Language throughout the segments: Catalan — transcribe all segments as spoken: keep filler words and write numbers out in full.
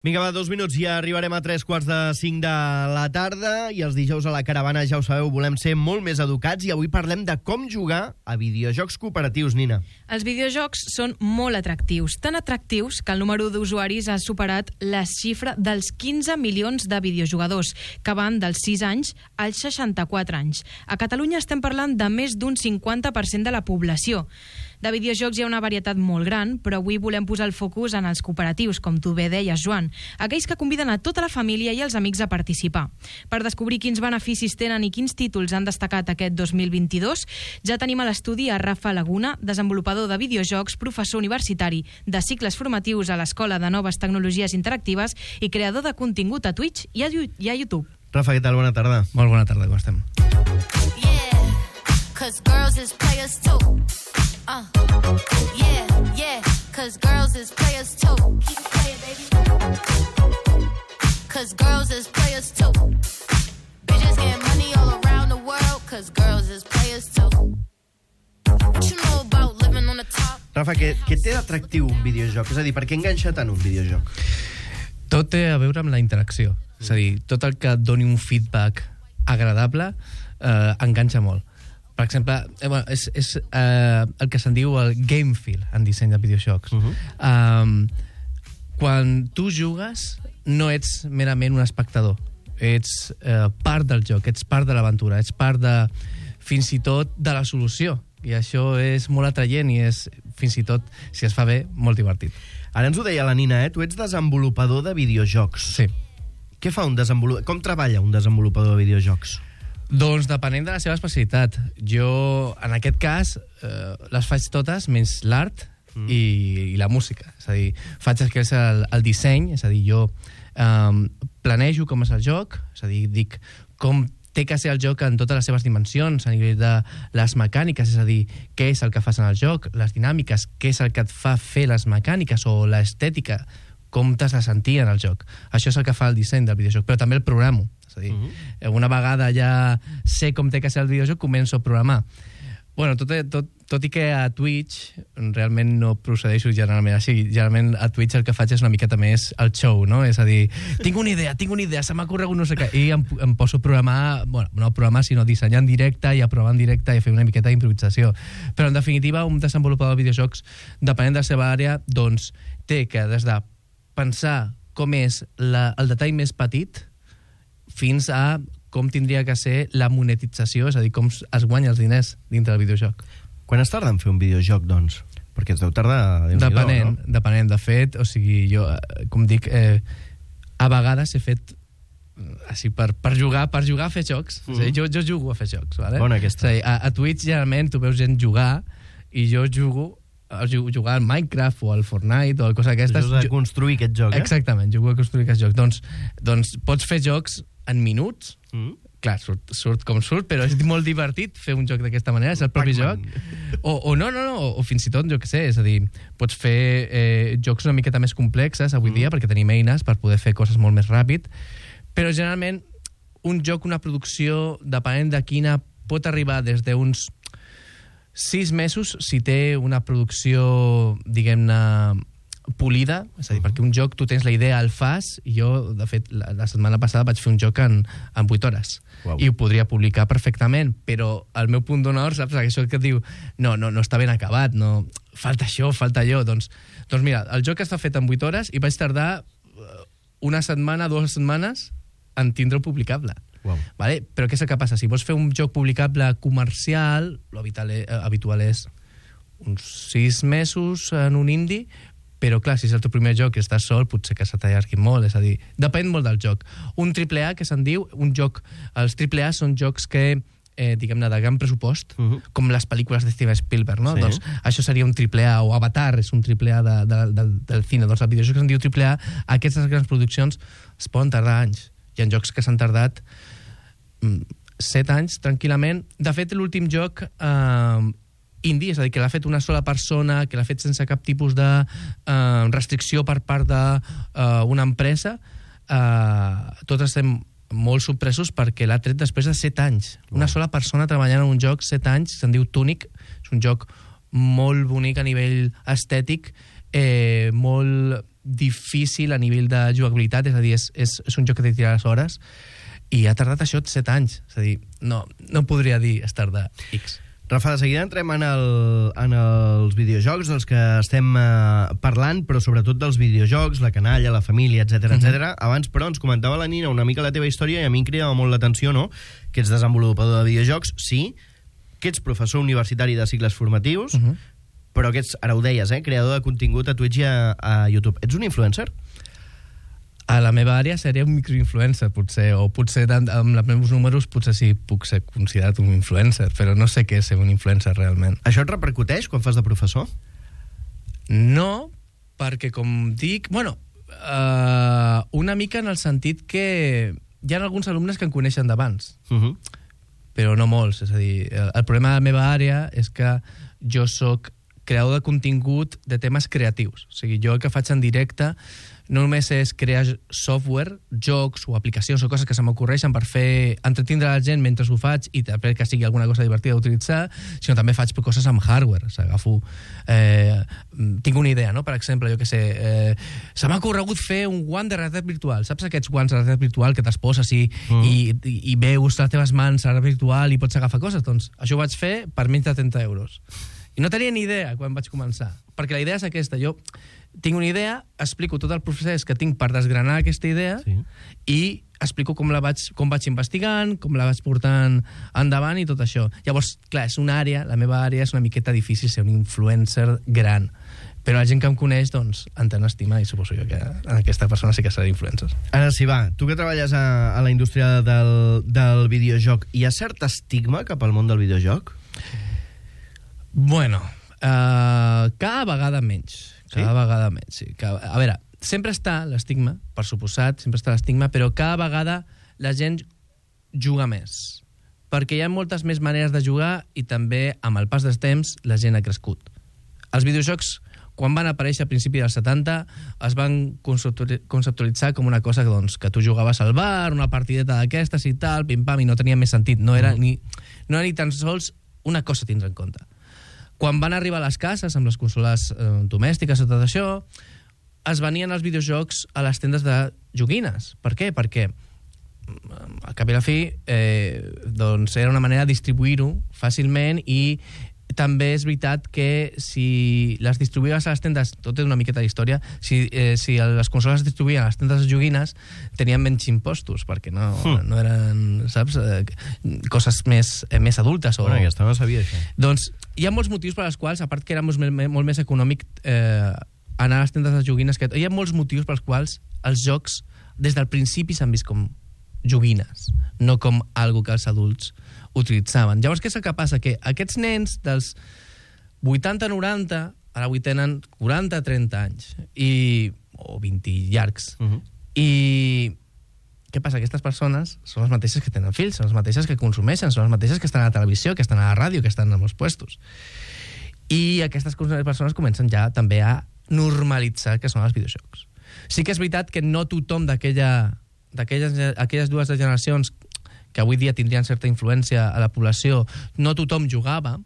Vinga, va, dos minuts, ja arribarem a tres quarts de cinc de la tarda i els dijous a la caravana, ja ho sabeu, volem ser molt més educats i avui parlem de com jugar a videojocs cooperatius, Nina. Els videojocs són molt atractius, tan atractius que el número d'usuaris ha superat la xifra dels quinze milions de videojugadors, que van dels sis anys als seixanta-quatre anys. A Catalunya estem parlant de més d'un cinquanta per cent de la població. De videojocs hi ha una varietat molt gran, però avui volem posar el focus en els cooperatius, com tu bé deies, Joan, aquells que conviden a tota la família i els amics a participar. Per descobrir quins beneficis tenen i quins títols han destacat aquest dos mil vint-i-dos, ja tenim a l'estudi a Rafa Laguna, desenvolupador de videojocs, professor universitari de cicles formatius a l'Escola de Noves Tecnologies Interactives i creador de contingut a Twitch i a, i a YouTube. Rafa, què tal? Bona tarda. Molt bona tarda, com estem? Yeah, cause girls is players too. Uh, yeah, yeah, cause girls is players too. Keep it playing, baby. Cause girls is players too. Bitches get money all around the world, cause girls is players too. What you know about living on the top? Rafa, què, què té d'atractiu un videojoc? És a dir, per què enganxa tant un videojoc? Tot té a veure amb la interacció. És a dir, tot el que et doni un feedback agradable eh, enganxa molt. Per exemple, eh, bueno, és, és eh, el que se'n diu el game feel en disseny de videojocs. Uh-huh. um, quan tu jugues, no ets merament un espectador. Ets eh, part del joc, ets part de l'aventura, ets part de, fins i tot, de la solució. I això és molt atraient i és, fins i tot, si es fa bé, molt divertit. Ara ens ho deia la Nina, eh? Tu ets desenvolupador de videojocs. Sí. Què fa un desenvolupador? Com treballa un desenvolupador de videojocs? Doncs depenent de la seva especialitat. Jo, en aquest cas, eh, les faig totes, menys l'art mm. i, i la música. És a dir, faig el que és el, el disseny, és a dir, jo eh, planejo com és el joc, és a dir, dic com té que ser el joc en totes les seves dimensions, a nivell de les mecàniques, és a dir, què és el que fas en el joc, les dinàmiques, què és el que et fa fer les mecàniques o l'estètica, com t'has de sentir en el joc. Això és el que fa el disseny del videojoc, però també el programo. És a dir, uh-huh. una vegada ja sé com té que ser el videojoc, començo a programar. Bueno, tot, tot, tot i que a Twitch realment no procedeixo generalment així. Generalment a Twitch el que faig és una miqueta més el show, no? És a dir, tinc una idea, tinc una idea, se m'ha corregut no sé què, i em, em poso a programar, bueno, no a programar, sinó a dissenyar en directe i a provar en directe i a fer una miqueta d'improvisació. Però en definitiva, un desenvolupador de videojocs, depenent de la seva àrea, doncs té que des de pensar com és la, el detall més petit fins a com tindria que ser la monetització, és a dir, com es guanya els diners dintre del videojoc. Quan es tarda en fer un videojoc, doncs? Perquè es deu tardar... Depenent, no? depenent. De fet, o sigui, jo, com dic, eh, a vegades he fet així per, per jugar per jugar a fer jocs. Mm. És a dir, jo, jo jugo a fer jocs, vale? Bona aquesta. És a dir, a, a Twitch, generalment, tu veus gent jugar i jo jugo a jugar al Minecraft o al Fortnite o al cosa d'aquestes. Jugo a construir aquest joc, eh? Exactament, jugo a construir aquest joc. Doncs, doncs pots fer jocs en minuts, mm. clar, surt, surt com surt, però és molt divertit fer un joc d'aquesta manera, és el propi joc. O, o no, no, no, o, o fins i tot, jo què sé, és a dir, pots fer eh, jocs una miqueta més complexes avui mm. dia, perquè tenim eines per poder fer coses molt més ràpid, però generalment un joc, una producció, depenent de quina, pot arribar des d'uns sis mesos si té una producció, diguem-ne, polida, és a dir, perquè un joc tu tens la idea, el fas, i jo, de fet, la, la setmana passada vaig fer un joc en, en vuit hores. Wow. I ho podria publicar perfectament, però el meu punt d'honor, saps, això que et diu, no, no, no està ben acabat, no, falta això, falta allò, doncs, doncs mira, el joc està fet en vuit hores i vaig tardar una setmana, dues setmanes en tindre-ho publicable. Wow. Vale? Però què és el que passa? Si vols fer un joc publicable comercial, l'habitual és uns sis mesos en un indie, però clar, si és el teu primer joc i estàs sol, potser que se t'allargui molt, és a dir, depèn molt del joc. Un triple A, que se'n diu, un joc, els triple A són jocs que, eh, diguem-ne, de gran pressupost, uh-huh. com les pel·lícules de Steven Spielberg, no? Sí. Doncs això seria un triple A, o Avatar és un triple A de, de, de, del cine. Doncs el videojoc que se'n diu triple A, aquestes grans produccions es poden tardar anys. Hi ha jocs que s'han tardat mm, set anys, tranquil·lament. De fet, l'últim joc... Eh, indie, és a dir, que l'ha fet una sola persona, que l'ha fet sense cap tipus de eh, restricció per part d'una uh, empresa, eh, tots estem molt sorpresos perquè l'ha tret després de set anys. Una sola persona treballant en un joc, set anys, se'n diu Tunic, és un joc molt bonic a nivell estètic, eh, molt difícil a nivell de jugabilitat, és a dir, és, és, és un joc que té que tirar les hores, i ha tardat això set anys. És a dir, no, no podria dir es tarda X. Rafa, de seguida entrem en, el, en els videojocs dels que estem eh, parlant, però sobretot dels videojocs, la canalla, la família, etcètera, Mhm. etcètera. Abans, però, ens comentava la Nina una mica la teva història i a mi em cridava molt l'atenció, no?, que ets desenvolupador de videojocs, sí, que ets professor universitari de cicles formatius, Mhm. però que ets, ara ho deies, eh, creador de contingut a Twitch i a, a YouTube. Ets un influencer? A la meva àrea seria un microinfluencer, potser, o potser amb els meus números potser sí puc ser considerat un influencer, però no sé què és ser un influencer realment. Això et repercuteix quan fas de professor? No, perquè com dic... Bueno, uh, una mica en el sentit que hi ha alguns alumnes que em coneixen d'abans, Uh -huh. però no molts. És a dir, el, el problema de la meva àrea és que jo sóc creador de contingut de temes creatius. O sigui, jo el que faig en directe no només és crear software, jocs o aplicacions o coses que se m'ocorreixen per fer entretindre la gent mentre ho faig i també que sigui alguna cosa divertida d'utilitzar, sinó també faig coses amb hardware. O sigui, agafo... Eh, tinc una idea, no? Per exemple, jo que sé, eh, se m'ha corregut fer un guant de realitat virtual. Saps aquests guants de realitat virtual que te'ls poses i, mm. i, i, i veus les teves mans a la realitat virtual i pots agafar coses? Doncs això ho vaig fer per menys de trenta euros. I no tenia ni idea quan vaig començar, perquè la idea és aquesta. Jo tinc una idea, explico tot el procés que tinc per desgranar aquesta idea Sí. i explico com la vaig, com vaig investigant, com la vaig portant endavant i tot això. Llavors, clar, és una àrea, la meva àrea és una miqueta difícil ser un influencer gran, però la gent que em coneix, doncs, em té estima i suposo jo que en aquesta persona sí que serà influencer. Ara sí, va, tu que treballes a, a la indústria del, del videojoc, hi ha cert estigma cap al món del videojoc? Bueno, uh, cada vegada menys. Cada Sí? vegada menys, sí. Cada, a veure, sempre està l'estigma, per suposat, sempre està l'estigma, però cada vegada la gent juga més. Perquè hi ha moltes més maneres de jugar i també, amb el pas dels temps, la gent ha crescut. Els videojocs, quan van aparèixer a principi dels setanta, es van conceptualitzar com una cosa doncs, que tu jugaves al bar, una partideta d'aquestes i tal, pim-pam, i no tenia més sentit. No era, ni, no era ni tan sols una cosa a tindre en compte. Quan van arribar a les cases, amb les consoles eh, domèstiques i tot això, es venien els videojocs a les tendes de joguines. Per què? Perquè, al cap i a la fi, eh, doncs era una manera de distribuir-ho fàcilment i també és veritat que si les distribuïes a les tendes, tot és una miqueta d'història, si, eh, si les consoles es distribuïen a les tendes de joguines, tenien menys impostos, perquè no, Mm. no eren, saps, eh, coses més, eh, més adultes. O... Bueno, aquesta no sabia, això. Doncs hi ha molts motius per als quals, a part que era molt, molt més econòmic eh, anar a les tendes de joguines, que hi ha molts motius pels quals els jocs des del principi s'han vist com joguines, no com algo que els adults utilitzaven. Llavors, què és el que passa? Que aquests nens dels vuitanta noranta ara avui tenen quaranta trenta anys i, o vint llargs. Uh -huh. I què passa? Aquestes persones són les mateixes que tenen fills, són les mateixes que consumeixen, són les mateixes que estan a la televisió, que estan a la ràdio, que estan en els puestos. I aquestes persones comencen ja també a normalitzar que són els videojocs. Sí que és veritat que no tothom d'aquella d'aquelles aquelles dues generacions que avui dia tindrien certa influència a la població, no tothom jugava,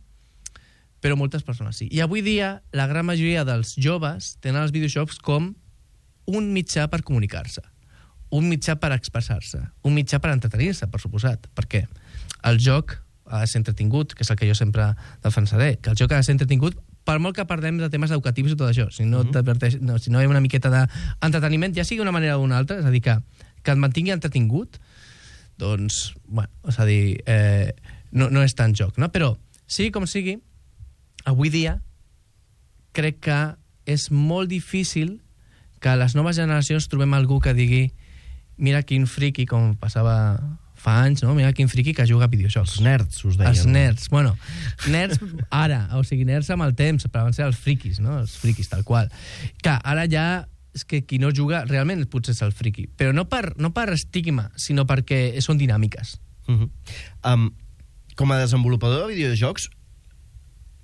però moltes persones sí. I avui dia la gran majoria dels joves tenen els videojocs com un mitjà per comunicar-se, un mitjà per expressar-se, un mitjà per entretenir-se, per suposat, perquè el joc ha de ser entretingut, que és el que jo sempre defensaré, que el joc ha de ser entretingut per molt que parlem de temes educatius i tot això. Si no, uh-huh. no, si no hi ha una miqueta d'entreteniment, ja sigui d'una manera o d'una altra, és a dir, que, que et mantingui entretingut, doncs, bueno, és a dir, eh, no, no és tant joc, no? Però, sigui com sigui, avui dia crec que és molt difícil que a les noves generacions trobem algú que digui mira quin friqui, com passava fa anys, no? Mira quin friqui que juga a videojocs. Els nerds, us deien. Els nerds, bueno, nerds ara, o sigui, nerds amb el temps, però van ser els friquis, no? Els friquis, tal qual. Que ara ja és que qui no juga realment potser és el friqui, però no per, no per estigma, sinó perquè són dinàmiques. Uh -huh. um, com a desenvolupador de videojocs,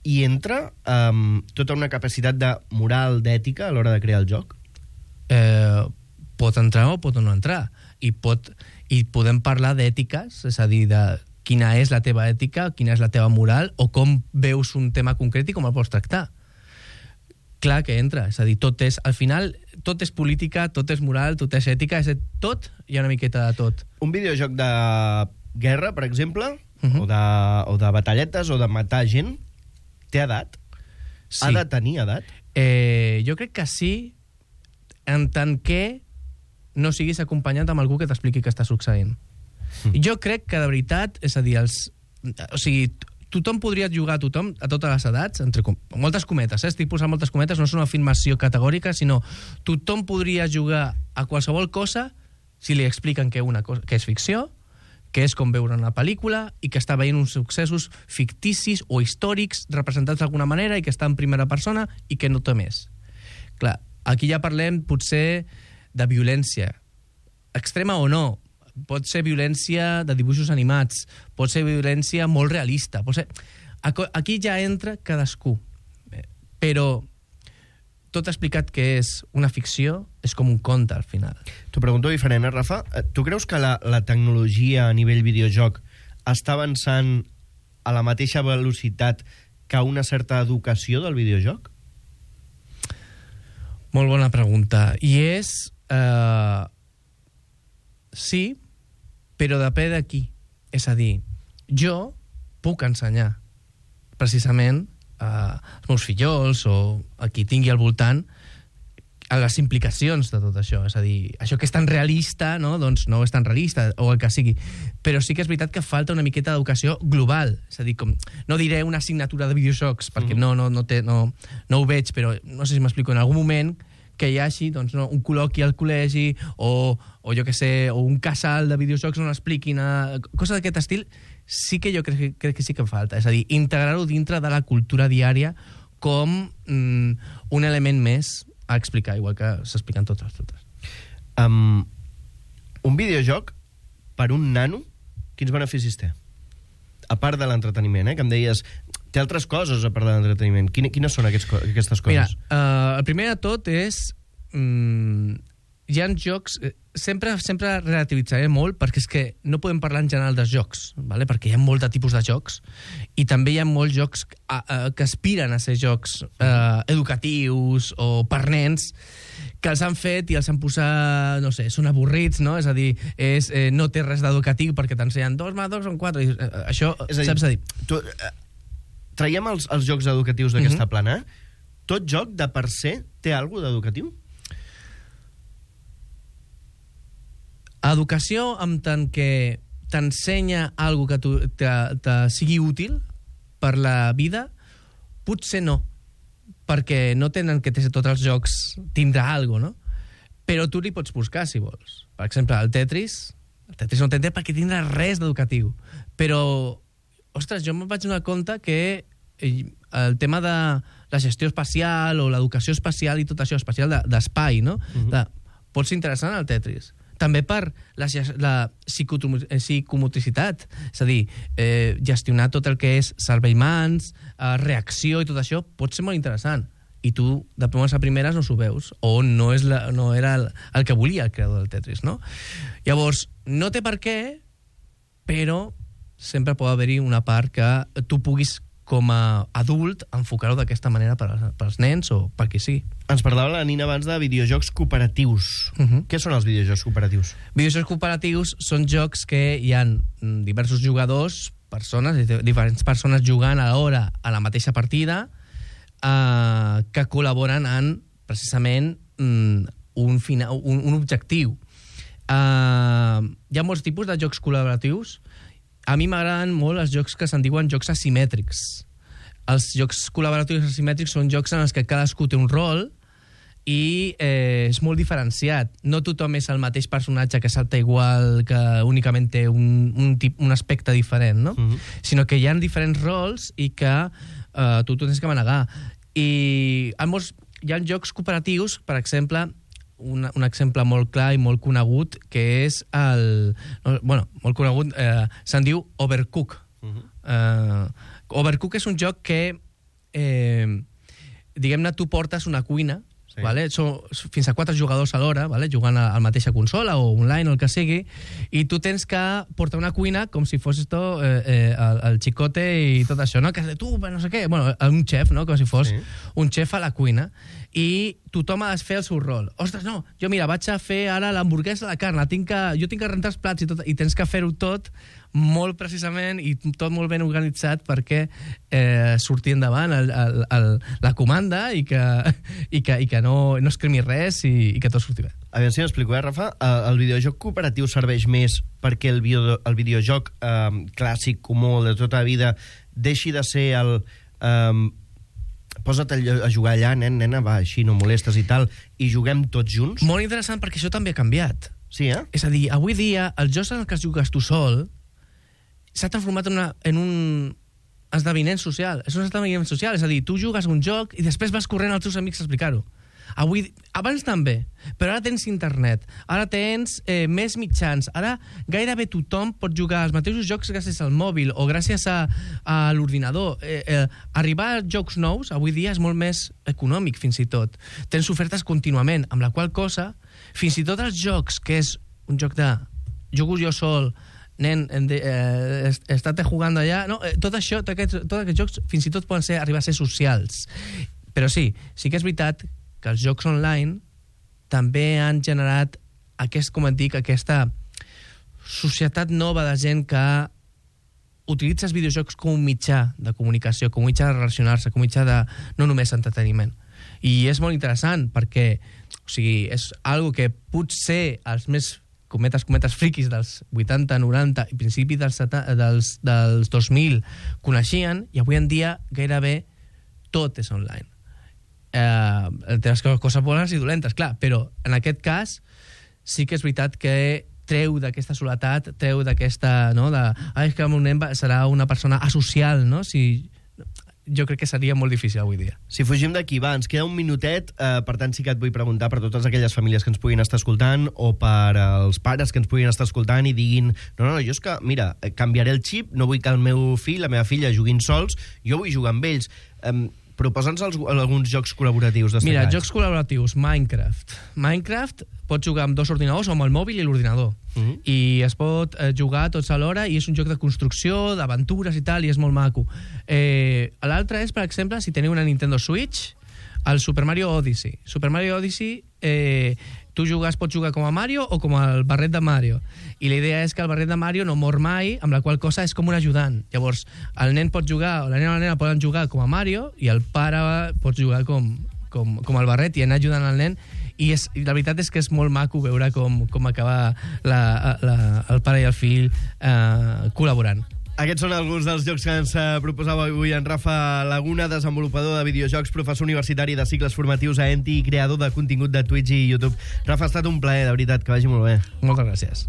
hi entra um, tota una capacitat de moral, d'ètica a l'hora de crear el joc? Eh, pot entrar o pot no entrar. I, pot, i podem parlar d'ètiques, és a dir, de quina és la teva ètica, quina és la teva moral, o com veus un tema concret i com el pots tractar. Clar que entra, és a dir, tot és... Al final, tot és política, tot és moral, tot és ètica, és tot, hi ha una miqueta de tot. Un videojoc de guerra, per exemple, Uh -huh. o, de, o de batalletes, o de matar gent, té edat? Sí. Ha de tenir edat? Eh, jo crec que sí, en tant que no siguis acompanyat amb algú que t'expliqui què està succeint. Mm. Jo crec que, de veritat, és a dir, els, o sigui, tothom podria jugar a tothom, a totes les edats, entre com, moltes cometes, eh? Estic posant moltes cometes, no és una afirmació categòrica, sinó tothom podria jugar a qualsevol cosa si li expliquen que, una cosa, que és ficció, que és com veure una pel·lícula i que està veient uns successos ficticis o històrics representats d'alguna manera i que està en primera persona i que no té més. Clar, aquí ja parlem potser de violència, extrema o no. Pot ser violència de dibuixos animats, pot ser violència molt realista, pot ser... Aquí ja entra cadascú. Però tot explicat que és una ficció és com un conte al final. T'ho pregunto diferent, eh, Rafa? Tu creus que la, la tecnologia a nivell videojoc està avançant a la mateixa velocitat que una certa educació del videojoc? Molt bona pregunta. I és... Eh, sí, però depèn d'aquí. És a dir, jo puc ensenyar precisament als meus fillols o a qui tingui al voltant a les implicacions de tot això. És a dir, això que és tan realista, no? Doncs no és tan realista, o el que sigui. Però sí que és veritat que falta una miqueta d'educació global. És a dir, com, no diré una assignatura de videojocs, perquè no, no, no, té, no, no ho veig, però no sé si m'explico, en algun moment que hi hagi doncs, no, un col·loqui al col·legi o, o jo que sé, o un casal de videojocs on expliquin a, coses d'aquest estil, sí que jo crec, crec que sí que falta. És a dir, integrar-ho dintre de la cultura diària com mm, un element més a explicar, igual que s'expliquen totes. totes. Um, un videojoc, per un nano, quins beneficis té? A part de l'entreteniment, eh? Que em deies, té altres coses a part de l'entreteniment. Quines, quines són aquests, aquestes coses? Mira, uh, el primer de tot és... Mm, hi ha jocs... Sempre, sempre relativitzaré molt, perquè és que no podem parlar en general dels jocs, vale? Perquè hi ha molt de tipus de jocs, i també hi ha molts jocs a, a, que aspiren a ser jocs eh, educatius o per nens, que els han fet i els han posat, no sé, són avorrits, no? És a dir, és, eh, no té res d'educatiu perquè t'ensenyen dos més dos són quatre. I, eh, això, és a dir, saps a dir? Tu, eh, traiem els, els jocs educatius d'aquesta Mhm. plana. Tot joc, de per se, té alguna cosa d'educatiu? Educació, en tant que t'ensenya alguna que tu, te, te sigui útil per la vida, potser no, perquè no tenen que tots els jocs tindrà alguna cosa, no? Però tu li pots buscar, si vols. Per exemple, el Tetris, el Tetris no tindrà perquè tindrà res d'educatiu. Però, ostres, jo me'n vaig donar compte que el tema de la gestió espacial o l'educació espacial i tot això, espacial d'espai, no? Mhm. De, pot ser interessant el Tetris. També per la, la psicomotricitat, és a dir, eh, gestionar tot el que és cervell-mans, eh, reacció i tot això, pot ser molt interessant. I tu, de primeres a primeres, no s'ho veus, o no, és la, no era el, el que volia el creador del Tetris, no? Llavors, no té per què, però sempre pot haver-hi una part que tu puguis, com a adult, enfocar-ho d'aquesta manera per als, per als nens o per qui sigui. Ens parlava la Nina abans de videojocs cooperatius. Uh -huh. Què són els videojocs cooperatius? Videojocs cooperatius són jocs que hi ha diversos jugadors, persones, diferents persones jugant alhora a la mateixa partida, eh, que col·laboren en, precisament, un, fina, un, un objectiu. Eh, hi ha molts tipus de jocs col·laboratius. A mi m'agraden molt els jocs que se'n diuen jocs asimètrics. Els jocs col·laboratius asimètrics són jocs en els que cadascú té un rol i eh, és molt diferenciat. No tothom és el mateix personatge que salta igual, que únicament té un, un, tip, un aspecte diferent, no? Uh-huh. Sinó que hi ha diferents rols i que eh, tu, tu tens que manegar. I hi ha, molts, hi ha jocs cooperatius, per exemple, un, un exemple molt clar i molt conegut, que és el... No, bueno, molt conegut, eh, se'n diu Overcook. Uh-huh. eh, Overcook és un joc que, eh, diguem-ne, tu portes una cuina, Sí. Vale? Són fins a quatre jugadors alhora, vale? Jugant a la mateixa consola o online o el que sigui, i tu tens que portar una cuina com si fos esto, eh, eh, el, el xicote i tot això, no? Que tu, no sé què, bueno, un xef, no? Com si fos sí. un xef a la cuina, i tothom ha de fer el seu rol. Ostres, no, jo mira, vaig a fer ara l'hamburguesa de la carn, tinc que, jo tinc que rentar els plats i tot, i tens que fer-ho tot molt precisament i tot molt ben organitzat perquè eh, surti endavant el, el, el, la comanda i que, i que, i que no, no es cremi res i, i que tot surti bé. A veure si m'explico, eh, Rafa? El videojoc cooperatiu serveix més perquè el, video, el videojoc eh, clàssic, comú, de tota la vida, deixi de ser el... Eh, posa't a jugar allà, nen, nena, va, així no molestes i tal, i juguem tots junts? Molt interessant perquè això també ha canviat. Sí, eh? És a dir, avui dia, els jocs en els que jugues tu sol s'ha transformat en, una, en un esdeveniment social. És un esdeveniment social, és a dir, tu jugues un joc i després vas corrent als teus amics a explicar-ho. Avui, abans també, però ara tens internet, ara tens eh, més mitjans, ara gairebé tothom pot jugar els mateixos jocs gràcies al mòbil o gràcies a, a l'ordinador. Eh, eh, arribar a jocs nous avui dia és molt més econòmic, fins i tot. Tens ofertes contínuament, amb la qual cosa, fins i tot els jocs, que és un joc de jugo jo sol, nen, eh, estate jugant allà... No, eh, tot això, tots aquests, tots aquests jocs, fins i tot poden ser, arribar a ser socials. Però sí, sí que és veritat que els jocs online també han generat aquest, com et dic, aquesta societat nova de gent que utilitza els videojocs com un mitjà de comunicació, com un mitjà de relacionar-se, com un mitjà de no només entreteniment. I és molt interessant perquè, o sigui, és algo que potser els més cometes, cometes friquis dels vuitanta, noranta i principis dels, dels, dels dos mil coneixien, i avui en dia gairebé tot és online. Eh, té les coses bones i dolentes, clar, però en aquest cas sí que és veritat que treu d'aquesta soledat, treu d'aquesta, no, de, ah, és que el meu nen serà una persona asocial, no? Si, jo crec que seria molt difícil avui dia. Si fugim d'aquí, va, ens queda un minutet, eh, per tant sí que et vull preguntar per totes aquelles famílies que ens puguin estar escoltant o per als pares que ens puguin estar escoltant i diguin, no, no, jo és que, mira, canviaré el xip, no vull que el meu fill, la meva filla juguin sols, jo vull jugar amb ells. Eh, Proposa'ns alguns jocs col·laboratius destacats. Mira, jocs col·laboratius, Minecraft. Minecraft pots jugar amb dos ordinadors, o amb el mòbil i l'ordinador. Uh -huh. I es pot eh, jugar tots alhora, i és un joc de construcció, d'aventures i tal, i és molt maco. Eh, L'altre és, per exemple, si teniu una Nintendo Switch, el Super Mario Odyssey. Super Mario Odyssey, eh, tu jugues, pots jugar com a Mario o com el barret de Mario. I la idea és que el barret de Mario no mor mai, amb la qual cosa és com un ajudant. Llavors, el nen pot jugar, o la nena o la nena poden jugar com a Mario, i el pare pot jugar com, com, com el barret i anar ajudant al nen. I, és, i la veritat és que és molt maco veure com, com acaba la, la, el pare i el fill eh, col·laborant. Aquests són alguns dels jocs que ens proposava avui en Rafa Laguna, desenvolupador de videojocs, professor universitari de cicles formatius a Enti i creador de contingut de Twitch i YouTube. Rafa, ha estat un plaer, de veritat, que vagi molt bé. Moltes gràcies.